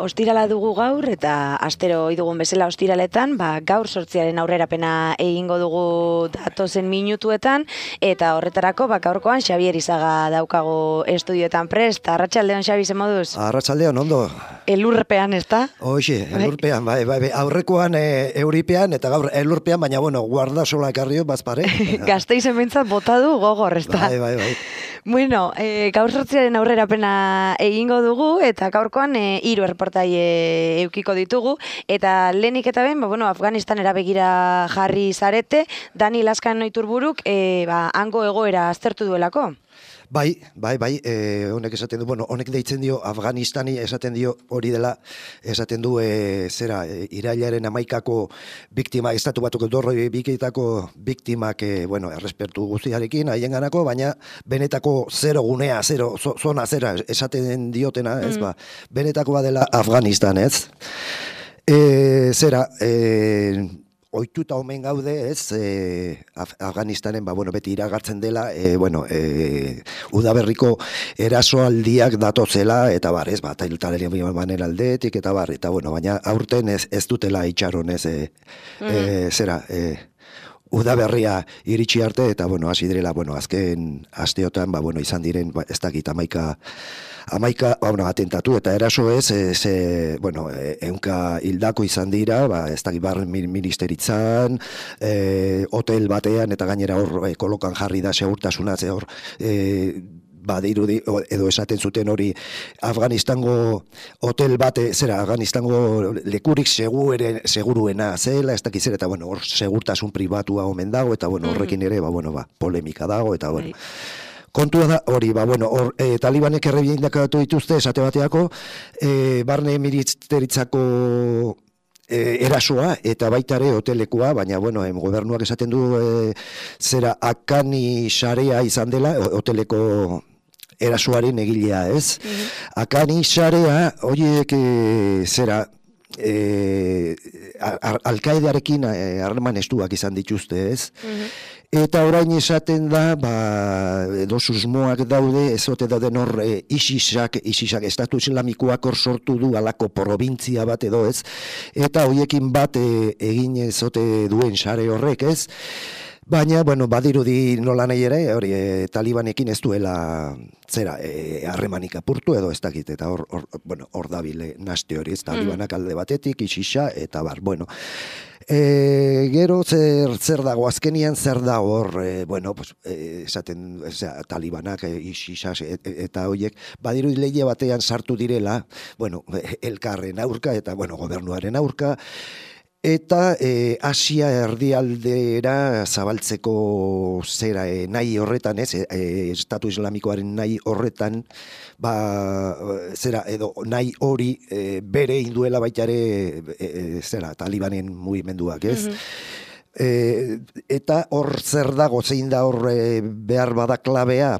Ostirala dugu gaur eta astero ohi dugun bezala ostiraletan, gaur 8 aurrerapena egingo dugu datozen minutuetan eta horretarako gaurkoan Xabier Izaga daukago estudioetan prest. Arratsaldeon, Xabi, ze moduz? Arratsaldeon, ondo. Elurpean, ezta? Hoxe, elurpean, bai. Aurrekoan euripean eta gaur elurpean, baina guardasola ekarrio bazpare. Gasteizen behintzat bota du gogor, ezta? Bai. Bueno, gaur 8 aurrerapena egingo dugu eta gaurkoan 3 erreportaile eukiko ditugu eta lehenik eta behin, Afganistanera begira jarri zarete, Dani Laskan Noiturburuk hango egoera aztertu duelako. Bai, honek esaten du, honek deitzen dio Afganistani, esaten dio hori dela, esaten du irailaren 11ko biktima, estatu batuko dorroi bikitako biktimak, errespertu guztiarekin, haienganako, baina benetako zero gunea, zona zera, esaten diotena, ez benetakoa dela Afganistan, ez? Ohituta omen gaude, ez, Afganistanen, beti iragartzen dela, udaberriko erasoaldiak datozela, eta ez, Talibanen aldetik, eta baina aurten ez dutela itxaron, ez, udaberria iritsi arte, eta, hasi direla, azken asteotan, izan diren, ez dakit, 11 atentatu eta eraso ez, ehunka hildako izan dira, ez dakit barren ministeritzan, hotel batean, eta gainera hor kolokan jarri da segurtasuna, hor, badirudi, edo esaten zuten hori Afganistango hotel bate, Afganistango lekurik seguruena zela, ez dakiz eta hor segurtasun pribatua omen dago, eta horrekin ere, polemika dago, eta kontua da, hori, talibanek errebiendakatu dituzte, esate bateako, barne ministeritzako erasoa, eta baitare hotelekua, baina, gobernuak esaten du, Akani Sharea izan dela, hoteleko erasoaren egilea, ez? Akani Sharea, horiek, Al-Qaedarekin harreman estuak izan dituzte, ez? Eta orain esaten da, edo susmoak daude, ezote dauden hor ISISak, Estatu Islamikoak hor sortu du alako probintzia bat edo ez, eta horiekin bat egin ezote duen sare horrek, ez? Baina, badirudi nola nahi ere, hori, talibanekin ez duela harremanik apurtu edo ez dakit, eta hor dabile naste hori, ez talibanak alde batetik, ISISa, eta gero zer dago, azkenian zer dago hor, esaten, talibanak, ISISak eta horiek, badirudi lehie batean sartu direla, elkarren aurka eta, gobernuaren aurka, eta Asia erdialdera zabaltzeko nahi horretan, ez, Estatu Islamikoaren nahi horretan, edo nahi hori bere induela baitare, talibanen mugimenduak, ez? Eta hor zer dago, zein da hor behar bada klabea,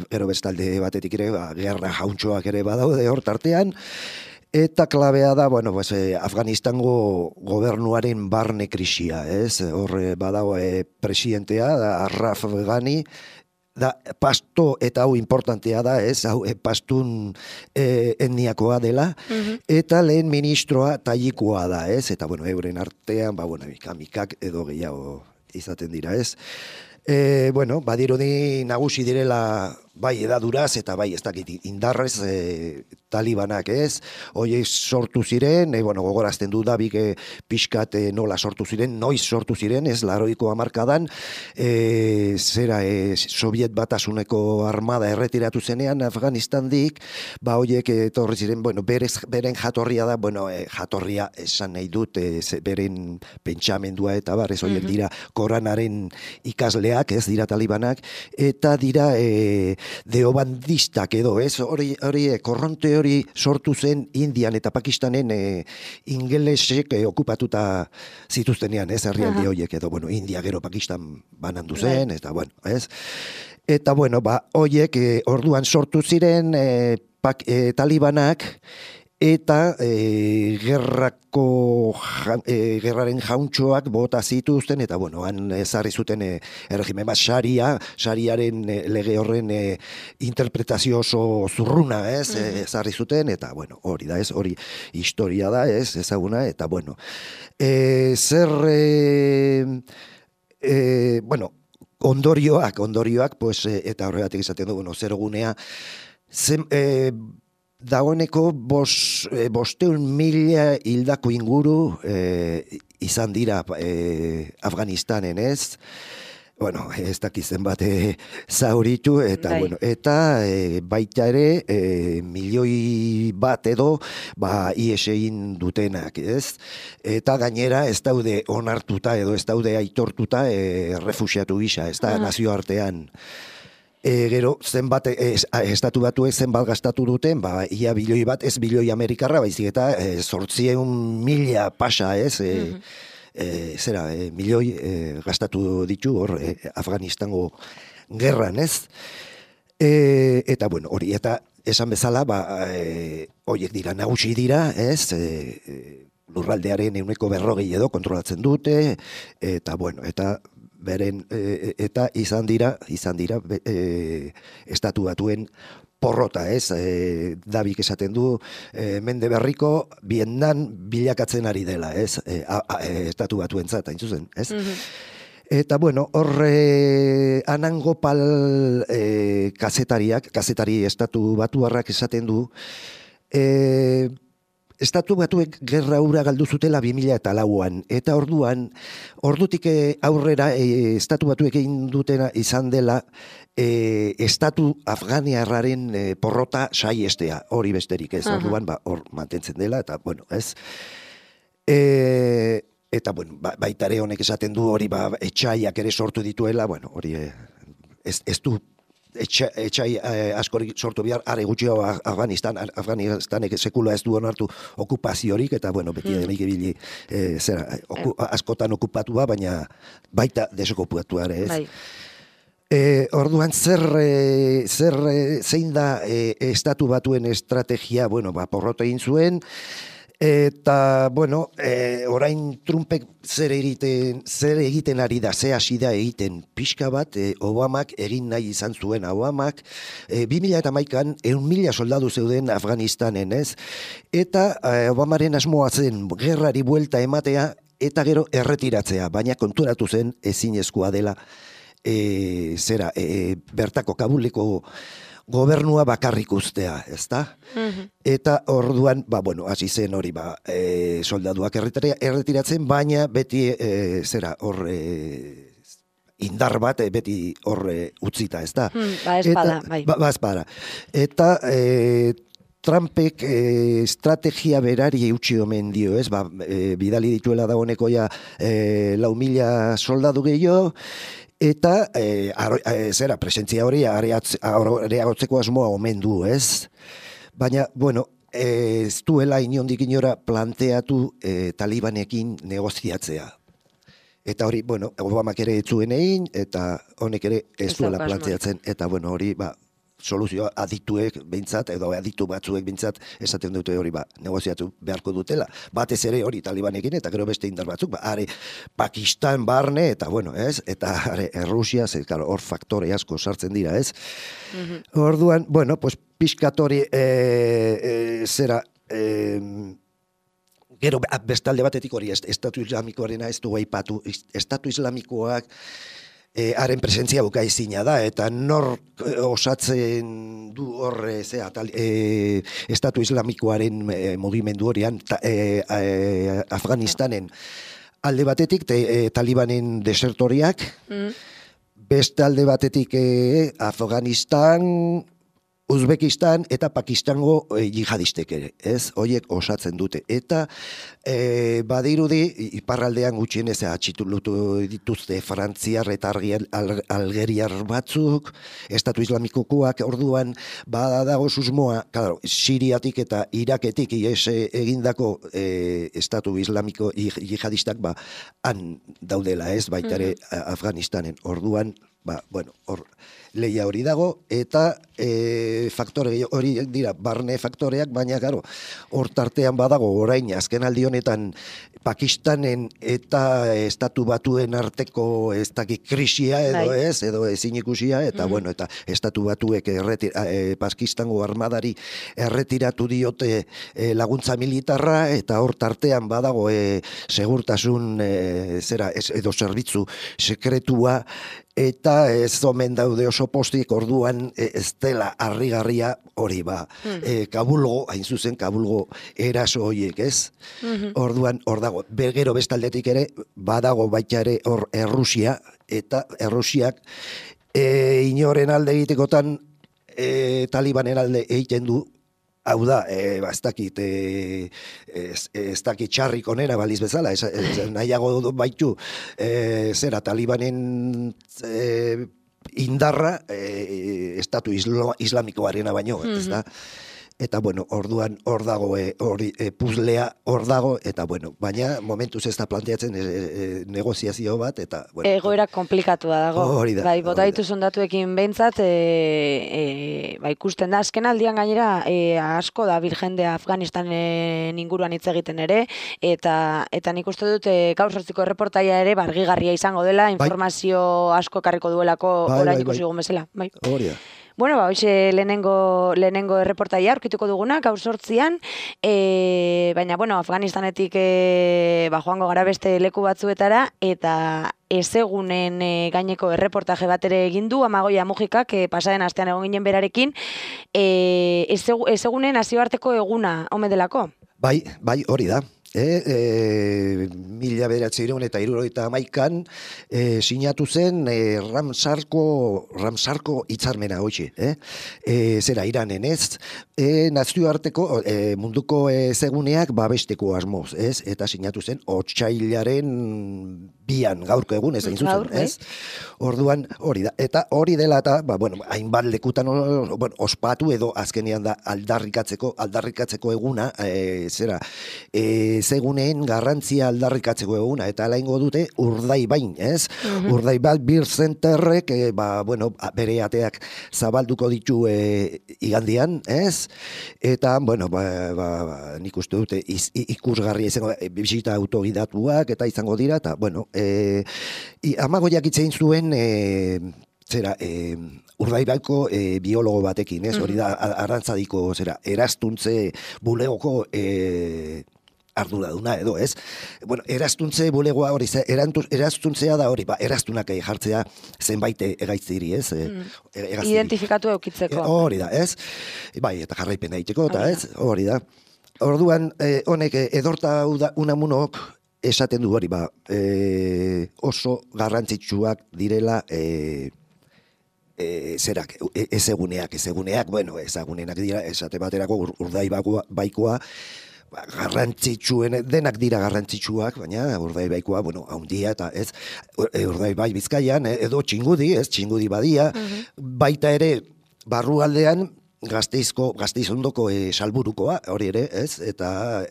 gero bestalde batetik ere, gerra jauntxoak ere badaude hor tartean, eta klabea da, Afganistango gobernuaren barne krisia, ez? Hor badago presidentea, Ashraf Ghani, da pasto, eta hau importantea da, ez? Hau pastun etniakoa dela, eta lehen ministroa tayikoa da, ez? Eta, euren artean, mikak edo gehiago izaten dira, ez? Badirudi nagusi direla bai edaduraz eta bai ez dakit indarrez talibanak, ez? Horiek sortu ziren, gogorazten du Dabik pixkat nola sortu ziren, noiz sortu ziren, ez, 80ko hamarkadan, Soviet Batasuneko armada erretiratu zenean Afganistandik, horiek etorri ziren, beren jatorria da, jatorria esan nahi dut, beren pentsamendua eta ez horiek dira Koranaren ikasleak, ez dira talibanak, eta dira deobandistak edo, ez? Hori korronte hori sortu zen Indian eta Pakistanen ingelesek okupatuta zituztenean, ez? Herrialde horiek edo, bueno, India gero Pakistan banandu zen, eta, bueno, ez? Eta, bueno, horiek orduan sortu ziren talibanak, eta gerraren jauntxoak bota zituzten, eta, bueno, han ezarri zuten erregimen bat xariaren lege horren interpretazio oso zurruna, ez, ezarri zuten, eta, bueno, hori da, ez, hori historia da, ez, ezaguna, eta, bueno, bueno, ondorioak, pues, eta horregatik izaten du, bueno, zerogunea, dagoeneko 500.000 hildako inguru izan dira Afganistanen, ez? Bueno, ez dakizen bat zauritu, eta, bueno, eta baita ere milioi bat edo ies egin dutenak, ez? Eta gainera ez daude onartuta edo ez daude aitortuta refuxiatu gisa, ez da nazioartean. Gero, zenbat, estatu batuek zenbat gastatu duten, ia bilioi bat, ez bilioi amerikarra, baizik eta 800.000 pasa, ez? Milioi gastatu ditu hor Afganistango gerran, ez? Eta, bueno, hori, eta esan bezala, horiek dira, nagusi dira, ez? Lurraldearen 40% edo kontrolatzen dute, eta, bueno, eta beren, eta izan dira estatu batuen porrota, ez? Dabik esaten du, mende berriko Vietnam bilakatzen ari dela, ez? Estatu batuentzat, hain zuzen, ez? Eta, bueno, horre Anand Gopal kazetari estatu batuarrak esaten du, Estatu batuek gerra hura galdu zutela 2004an, eta ordutik aurrera estatu batuek egin dutena izan dela estatu afganiarraren porrota saiestea, hori besterik ez, orduan hor mantentzen dela, eta, bueno, ez. Eta, bueno, baitare honek esaten du hori etxaiak ere sortu dituela, bueno, hori ez du etxai askorik sortu behar, are gutxio Afganistanek sekula ez du onartu okupaziorik, eta, bueno, beti denik ibili askotan okupatua, baina baita desokupatua ere, ez? Orduan zein da estatu batuen estrategia, bueno, porrota egin zuen, eta, bueno, orain Trumpek zer egiten ari da, ze hasi da egiten pixka bat, Obamak egin nahi izan zuen, Obamak 2011an 100.000 soldadu zeuden Afganistanen, ez? Eta Obamaren asmoa zen gerrari buelta ematea, eta gero erretiratzea, baina konturatu zen ezinezkoa dela bertako Kabuleko gobernua bakarrik ustea, ezta? Eta orduan, bueno, hasi zen hori, soldaduak erretiratzen, baina beti, indar bat, beti utzita, ezta? Espada, bai. Espada. Eta Trumpek estrategia berari eutxi omen dio, ez? Bidali dituela dagoeneko ja 4.000 soldadu gehiago, eta presentzia hori areagotzeko asmoa omen du, ez? Baina, bueno, ez duela inondik inora planteatu talibanekin negoziatzea. Eta hori, bueno, Obamak ere ez zuen egin, eta honek ere ez duela planteatzen, eta, bueno, hori, soluzioa adituek behintzat, edo aditu batzuek behintzat, esaten dute hori negoziatu beharko dutela. Batez ere hori talibanekin, eta gero beste indar batzuk, are Pakistan barne, eta bueno, ez? Eta are Rusia, hor faktore asko sartzen dira, ez? Orduan, bueno, pues pixkatori gero bestalde batetik hori, Estatu Islamikoarena ez du aipatu, Estatu Islamikoak haren presentzia bukaezina da, eta nor osatzen du hor Estatu Islamikoaren mugimendu horian Afganistanen alde batetik talibanen desertoriak, beste alde batetik Afganistan Uzbekistan eta Pakistango jihadistek ere, ez? Hoiek osatzen dute. Eta badirudi, iparraldean gutxienez atxitulutu dituzte frantziar eta algeriar batzuk, estatu islamikokoak orduan badago susmoa, claro, Siriatik eta Iraketik ies egindako estatu islamiko jihadistak han daudela, ez? Baita ere Afganistanen. Orduan, hor leia hori dago, eta faktore hori dira, barne faktoreak, baina garo, hor tartean badago orain, azken aldi honetan Pakistanen eta estatu batuen arteko ez dakit krisia edo ez, edo ezin ikusia, eta eta estatu batuek Pakistango armadari erretiratu diote laguntza militarra, eta hor tartean badago segurtasun edo zerbitzu sekretua, eta ez omen daude oso postik, orduan ez dela harrigarria hori Kabulgo, hain zuzen Kabulgo eraso horiek, ez? Orduan, hor dago, gero bestaldetik ere, badago baita ere hor Errusia, eta Errusiak inoren alde egitekotan Talibanen alde egiten du. Hau da, ez dakit txarrik onera baliz bezala, nahiago baitu Talibanen indarra estatu islamikoarena baino, ez da? Eta, orduan hor dago, puzlea hor dago, eta, baina momentuz ez da planteatzen negoziazio bat, eta, egoera komplikatua dago. Hori da. Bai, bota ditu sondatuekin behintzat, ikusten da, azken aldian gainera, asko da jende Afganistanen inguruan hitz egiten ere, eta nik uste dut gaur sortziko erreportaia ere, argigarria izango dela, informazio asko ekarriko duelako orain ikusi dugun bezala. Hori da. Hoxe lehenengo erreportaia aurkituko duguna, gaur 8an, baina, Afganistanetik joango gara beste leku batzuetara, eta ezegunen gaineko erreportaje bat ere egin du, Amagoia Mujikak, pasaren astean egon ginen berarekin, ezegunen nazioarteko eguna, omen delako? Bai, hori da. 1971an sinatu zen Ramsarko hitzarmena hoxe, Iranen, ez? Nazioarteko munduko ezeguneak babesteko asmoz, ez? Eta sinatu zen otsailaren 2an, gaurko egun, ez hain zuzen, ez? Orduan, hori da. Eta hori dela eta, hainbat lekutan ospatu edo azkenean da aldarrikatzeko eguna, seguneen garrantzia aldarrikatzeko eguna, eta alaingo dute Urdaibain, ez? Urdaibai Beer Centerrek, bere ateak zabalduko ditu igandian, ez? Eta, nik uste dute ikusgarria izango, bisita autogidatuak, eta izango dira, eta, Amagoiak itzein zuen, Urdaibaiko biologo batekin, ez? Hori da, Arantzadiko, eraztuntze bulegoko arduraduna edo, ez? Eraztuntze bulegoa hori, eraztuntzea da hori, eraztunak jartzea zenbait egaitziri, ez? Identifikatu eukitzeko. Hori da, ez? Bai, eta jarraipena egiteko, eta ez? Hori da. Orduan, honek edorta unamunok esaten du hori, oso garrantzitsuak direla ezeguneak, ezagunenak dira, esate baterako Urdaibaikoa, denak dira garrantzitsuak, baina Urdaibaikoa, haundia eta ez, Urdaibai Bizkaian, edo Txingudi badia, baita ere barrualdean Gasteizondoko salburukoa, hori ere, ez? Eta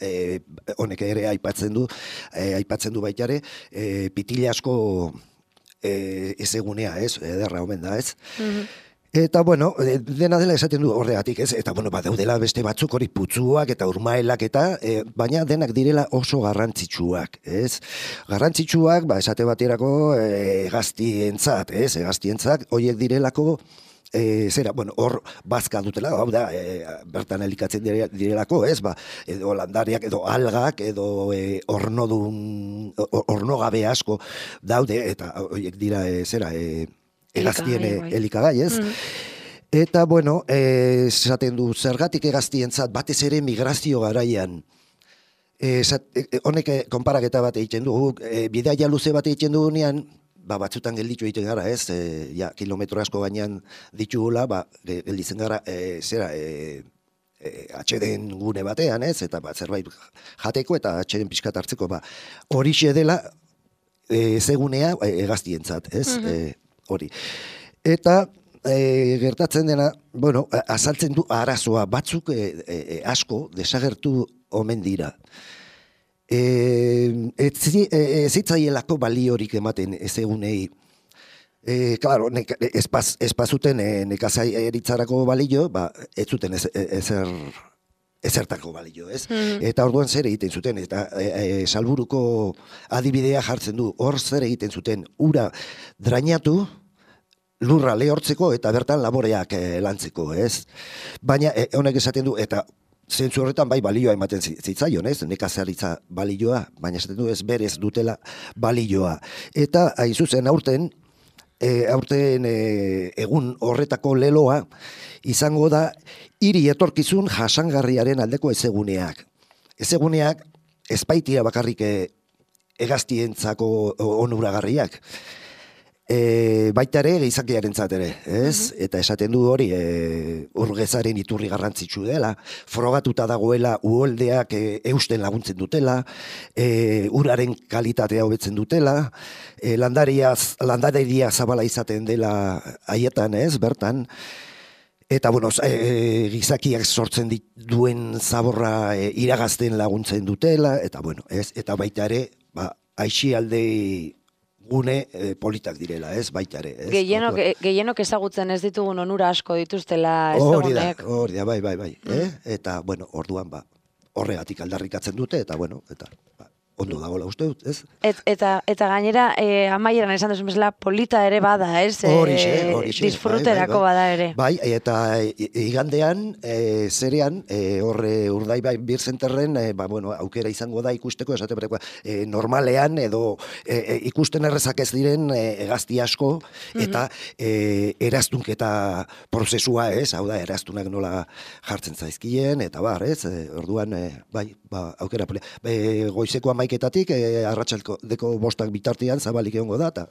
honek ere aipatzen du baita ere, Pitilasko ezegunea, ez? Ederra omen da, ez? Eta, dena dela esaten du horregatik, ez? Eta, badaudela beste batzuk hori putzuak eta urmaelak eta, baina denak direla oso garrantzitsuak, ez? Garrantzitsuak, esate baterako hegaztientzat, ez? Hegaztientzat, horiek direlako, hor bazka dutela, hau da, bertan elikatzen direlako, ez, edo landariak, edo algak, edo ornogabe asko daude, eta horiek dira, egaztien elikagai, ez? Eta, esaten du, zergatik egaztientzat, batez ere migrazio garaian, honek konparaketa bat egiten du, bidaia luze bat egiten dugunean, batzutan gelditu egiten gara, ez? Ja, kilometro asko gainean ditugula, gelditzen gara, atxeden gune batean, ez? Eta zerbait jateko eta atxeden pixkat hartzeko, horixe dela zegunea hegaztientzat, ez? Hori. Eta gertatzen dena, bueno, azaltzen du arazoa batzuk asko desagertu omen dira. Zitzaielako baliorik ematen ezegunei. Claro, espazuten nekazaritzarako balio, ez zuten ezertako balio, ez? Eta orduan zer egiten zuten, eta Salburuko adibidea jartzen du, hor zer egiten zuten, ura drainatu, lurra lehortzeko eta bertan laboreak lantzeko, ez? Baina honek esaten du, eta zentzu horretan bai balioa ematen zitzaion, ez? Nekazaritza balioa, baina esaten du ez berez dutela balioa. Eta hain zuzen aurten egun horretako leloa izango da hiri etorkizun jasangarriaren aldeko ezeguneak. Ezeguneak ez baitira bakarrik hegaztientzako onuragarriak. Baita ere gizakiarentzat ere, ez? Eta esaten du hori urgezaren iturri garrantzitsu dela, frogatuta dagoela uholdeak eusten laguntzen dutela, uraren kalitatea hobetzen dutela, landareria zabala izaten dela haietan, ez? Bertan, eta bueno, gizakiak sortzen duen zaborra iragazten laguntzen dutela, eta bueno, ez? Eta baita ere, aixialde gune politak direla, ez, baita ere. Gehienok ezagutzen ez ditugun onura asko dituztela ezagunek. Hori da, bai. Eta, bueno, orduan, horregatik aldarrikatzen dute, eta, bueno, ondo dagoela uste dut, ez? Eta gainera, amaieran esan duzun bezala, polita ere bada, ez? Horixe. Disfruterako bada ere. Bai, eta igandean, zerean, horre Urdaibai Beer Centerren, aukera izango da ikusteko, esate berekoa, normalean, edo ikusten errezak ez diren hegazti asko, eta eraztunketa prozesua, ez? Hau da, eraztunak nola jartzen zaizkien, eta ez? Orduan, aukera polita. Goizeko amaiketatik, arratsaldeko 5 bitartean zabalik egongo data.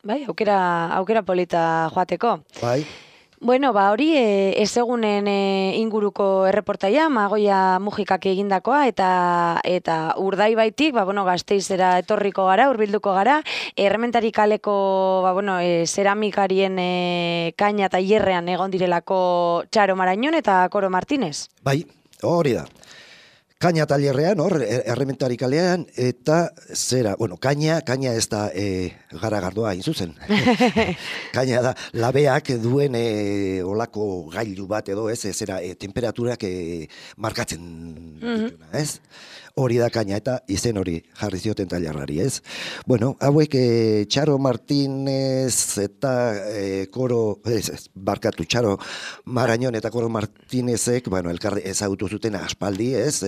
Bai, aukera polita joateko. Bai. Bueno, hori ezegunen inguruko erreportaia, Magoia Mujikak egindakoa, eta Urdaibaitik, Gasteizera etorriko gara, hurbilduko gara, Errementari kaleko, zeramikarien kaina eta hierrean egon direlako Txaro Marañon eta Koro Martínez. Bai, hori da. Kaina talerrean, Errementari kalean, eta kaina ez da garagardoa hain zuzen. Kaina da, labeak duen olako gailu bat edo, ez, temperaturak markatzen dituna, ez? Hori da kaina, eta izen hori jarri zioten talerrari, ez? Bueno, hauek Txaro Martínez eta Txaro Marañon eta Koro Martínezek, elkar ezagutu zuten aspaldi, ez?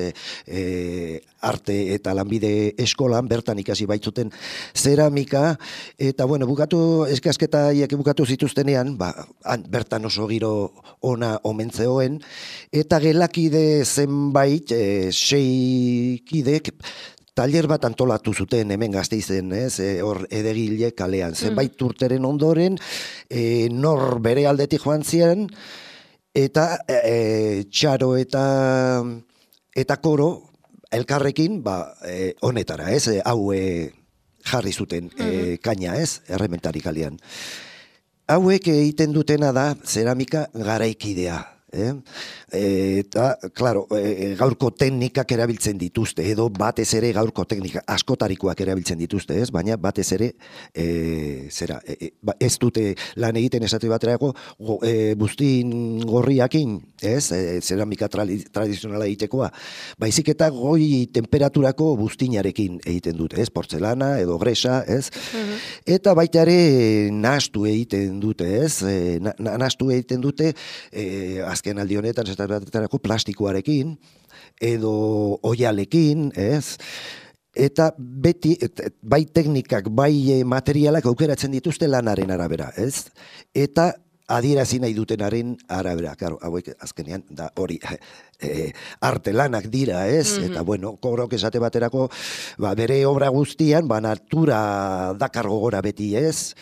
Arte eta lanbide eskolan bertan ikasi baitzuten zeramika, eta eskasketa haiek bukatu zituztenean, bertan oso giro ona omen zegoen, eta gelakide zenbait 6 kidek taller bat antolatu zuten hemen Gasteizen, ez? Hor Edegile kalean, zenbait urteren ondoren, nor bere aldetik joan ziren, eta Txaro eta Koro elkarrekin honetara, ez? Hau jarri zuten kaina, ez? Errementari kalean. Hauek egiten dutena da zeramika garaikidea. Eta, klaro, gaurko teknikak erabiltzen dituzte, edo batez ere gaurko teknika askotarikoak erabiltzen dituzte, ez? Baina batez ere ez dute lan egiten esate baterako buztin gorriakin, ez? Zeramika tradizionala egitekoa, baizik eta goi temperaturako buztinarekin egiten dute, ez? Portzelana edo gresa, ez? Eta baita ere nahastu egiten dute, ez? Nahastu egiten dute azken aldi honetan plastikoarekin edo oialekin, ez? Eta beti, bai teknikak, bai materialak aukeratzen dituzte lanaren arabera, ez? Eta adierazi nahi dutenaren arabera, claro, hauek azkenean da hori arte lanak dira, ez? Eta bueno, Korok esate baterako, bere obra guztian, natura dakar gogora beti, ez?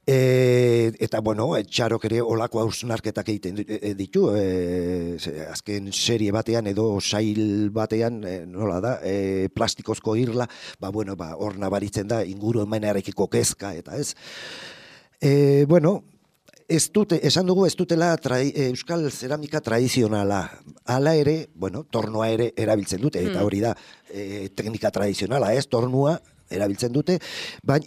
Eta bueno, Txarok ere olako hausnarketak egiten ditu, azken serie batean edo sail batean, nola da, plastikozko irla, bueno, hor nabaritzen da ingurumenarekiko kezka, eta ez. Bueno, esan dugu ez dutela euskal zeramika tradizionala. Hala ere, bueno, tornoa ere erabiltzen dute, eta hori da teknika tradizionala, ez, tornua erabiltzen dute,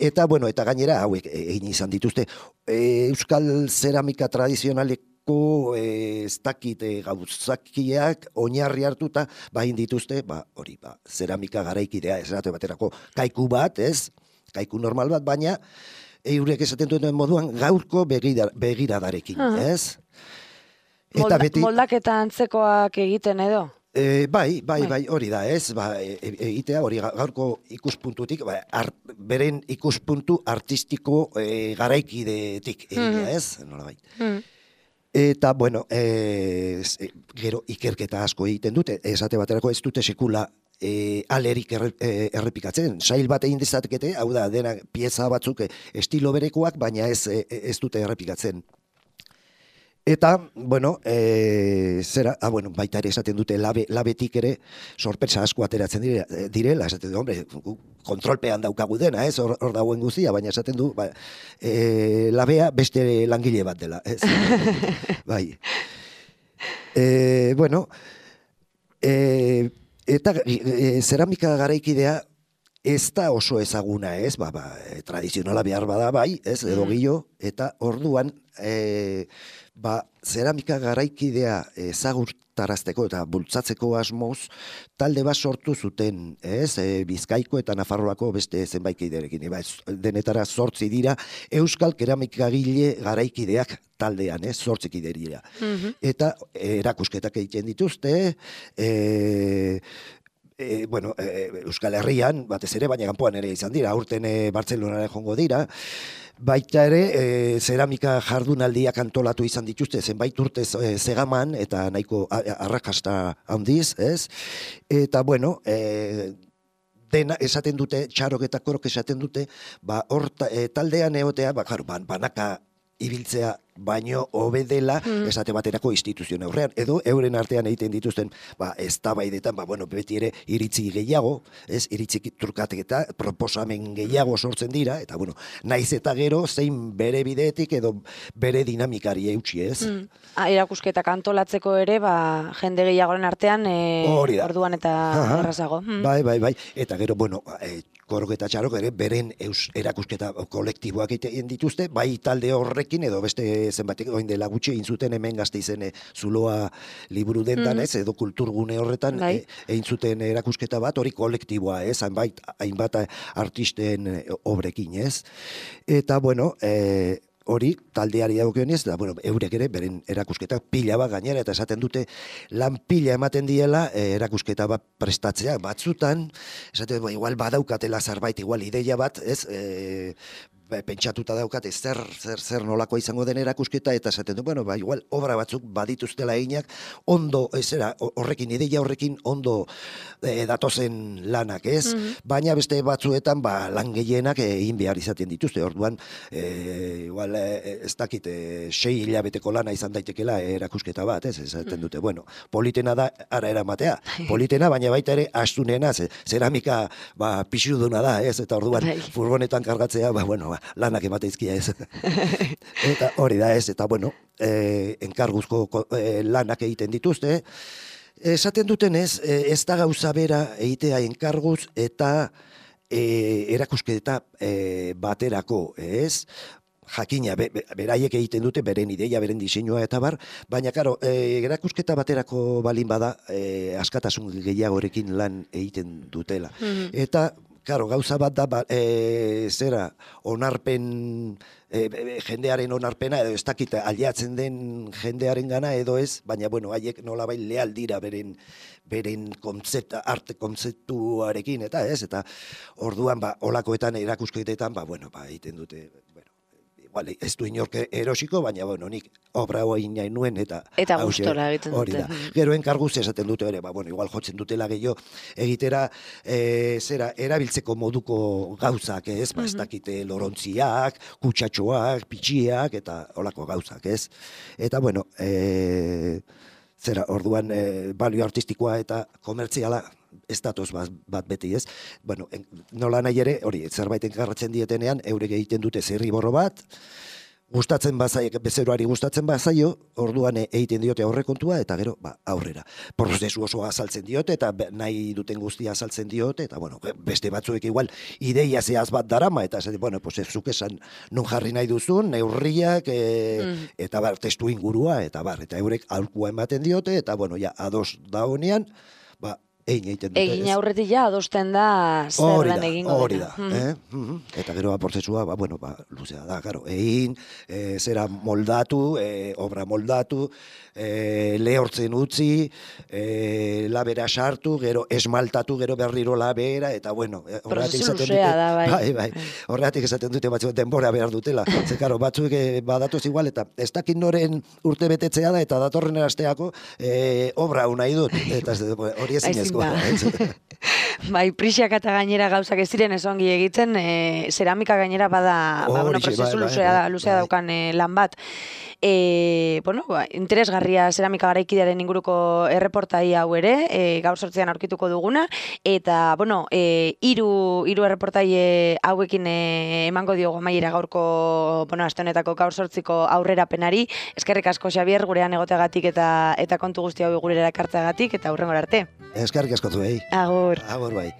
eta bueno, eta gainera hauek egin izan dituzte euskal zeramika tradizionaleko ez dakit gauzakiak oinarri hartuta bain dituzte, hori, zeramika garaikidea esate baterako kaiku bat, ez? Kaiku normal bat, baina eurek esaten duten moduan gaurko begiradarekin, ez? Eta beti moldaketa antzekoak egiten edo? Bai, hori da, ez? Egitea hori gaurko ikuspuntutik, beren ikuspuntu artistiko garaikidetik egitea, ez? Nola bai. Eta, bueno, gero ikerketa asko egiten dute, esate baterako ez dute sekula alerik errepikatzen. Sail bat egin dezatekete, hau da, dena pieza batzuk estilo berekoak, baina ez dute errepikatzen. Eta, bueno, bueno, baita ere esaten dute labetik ere sorpresa asko ateratzen direla, esaten du, hombre, kontrolpean daukagu dena, ez, hor dauen guztia, baina esaten du, labea beste langile bat dela, ez, bai. Bueno, eta zeramika garaikidea ez da oso ezaguna, ez, tradizionala behar bada bai, ez, edo gillo, eta orduan, zeramika garaikidea ezagutarazteko eta bultzatzeko asmoz, talde bat sortu zuten, ez, Bizkaiko eta Nafarroako beste zenbait kiderekin, denetara 8 dira, euskal keramikagile garaikideak taldean, ez, 8 kide dira. Eta erakusketak egiten dituzte, bueno, Euskal Herrian, batez ere, baina kanpoan ere izan dira, aurten Bartzelonara joango dira, baita ere, zeramika jardunaldiak antolatu izan dituzte, zenbait urtez Zegaman, eta nahiko arrakasta handiz, ez? Eta, bueno, dena esaten dute, Txarok eta Korok esaten dute, hor taldean egotea, banaka ibiltzea baino hobedela esate baterako instituzioen aurrean, edo euren artean egiten dituzten eztabaidetan, bueno, beti ere iritzi gehiago, ez, iritzi trukatek eta proposamen gehiago sortzen dira, eta bueno, naiz eta gero zein bere bideetik edo bere dinamikari eutsi, ez? Erakusketak antolatzeko ere, jende gehiagoren artean, orduan eta errazago. Bai, eta gero, bueno, Korok eta Txarok ere beren erakusketa kolektiboak egiten dituzte, bai talde horrekin edo beste zenbatek oin dela gutxi egin zuten hemen Gasteizen Zuloa liburu dendan, ez, edo kulturgune horretan egin zuten erakusketa bat, hori kolektiboa, ez, hainbat artisten obrekin, ez. Eta, bueno, hori taldeari dagokionez, da bueno, eurek ere beren erakusketa pila bat gainera, eta esaten dute lan pila ematen diela erakusketa bat prestatzea, batzutan esaten igual badaukatela zerbait, igual ideia bat, ez, pentsatuta daukate zer nolakoa izango den erakusketa, eta esaten du, bueno, igual obra batzuk badituztela eginak, ondo, horrekin, ideia horrekin ondo datozen lanak, ez? Baina beste batzuetan, lan gehienak egin behar izaten dituzte, orduan, igual, ez dakit, 6 hilabeteko lana izan daitekela erakusketa bat, ez? Esaten dute, bueno, politena da, ara eramatea, politena, baina baita ere, astunena, zeramika, pixuduna da, ez? Eta orduan, furgonetan kargatzea, bueno, lanak emateizkia, ez. Eta hori da, ez, eta bueno, enkarguzko lanak egiten dituzte. Esaten dutenez, ez da gauza bera egitea enkarguz eta erakusketa baterako, ez? Jakina, beraiek egiten dute, beren ideia, beren diseinua eta bar, baina, karo, erakusketa baterako balin bada, askatasun gehiagorekin lan egiten dutela. Eta, claro, gauza bat da, onarpen, jendearen onarpena, edo ez dakit aliatzen den jendearen gana, edo ez, baina, bueno, haiek nolabait leal dira beren arte kontzeptuarekin, eta ez, eta orduan, olakoetan, erakusketetan, bueno, egiten dute, bueno, Bale, ez du inork erosiko, baina, bueno, nik obra hori nahi nuen, eta gustora egiten dute. Hori da. Gero enkarguz esaten dute ere, igual jotzen dutela gehiago egitera, erabiltzeko moduko gauzak, ez? Ez dakite lorontziak, kutsatxoak, pitxiak, eta olako gauzak, ez? Eta, bueno, orduan balio artistikoa eta komertziala ez datoz bat beti, ez? Bueno, nola nahi ere, hori, zerbait enkarratzen dietenean, eurek egiten dute zirriborro bat, gustatzen bazaio, bezeroari gustatzen bazaio, orduan egiten diote aurrekontua, eta gero, aurrera. Prozesu oso azaltzen diote, eta nahi duten guztia azaltzen diote, eta, bueno, beste batzuek igual, ideia zehaz bat darama, eta, bueno, zuk esan non jarri nahi duzun, neurriak, eta testu ingurua, eta eurek aholkua ematen diote, eta, bueno, ja, ados da honean, egin aurretik ja adosten da zer dan egingo dena. Hori da. Eta gero prozesua, luzea da, egin, zera moldatu, obra moldatu, lehortzen utzi, labera sartu, gero esmaltatu, gero berriro labera, eta bueno, prozesu luzea da, bai. Horregatik esaten dute batzuk denbora behar dutela. Zekaro, batzuk badatoz igual, eta ez dakit noren urte betetzea da, eta datorren erasteako obra hau nahi dut. Eta hori ezinezko. Bai, prisiak eta gainera gauzak ez ziren esongi egiten, zeramika gainera bada prozesu luzea daukan lan bat. Interesgarria zeramika garaikidearen inguruko erreportai hau ere, gaur 8an aurkituko duguna, eta, hiru erreportai hauekin emango diogo amaiera gaurko, aste honetako gaur 8ko aurrerapenari. Eskerrik asko, Xabier, gurean egoteagatik eta kontu guzti hau gurera ekartzeagatik, eta hurrengora arte. Eskerrik asko zuei. Agur. Agur, bai.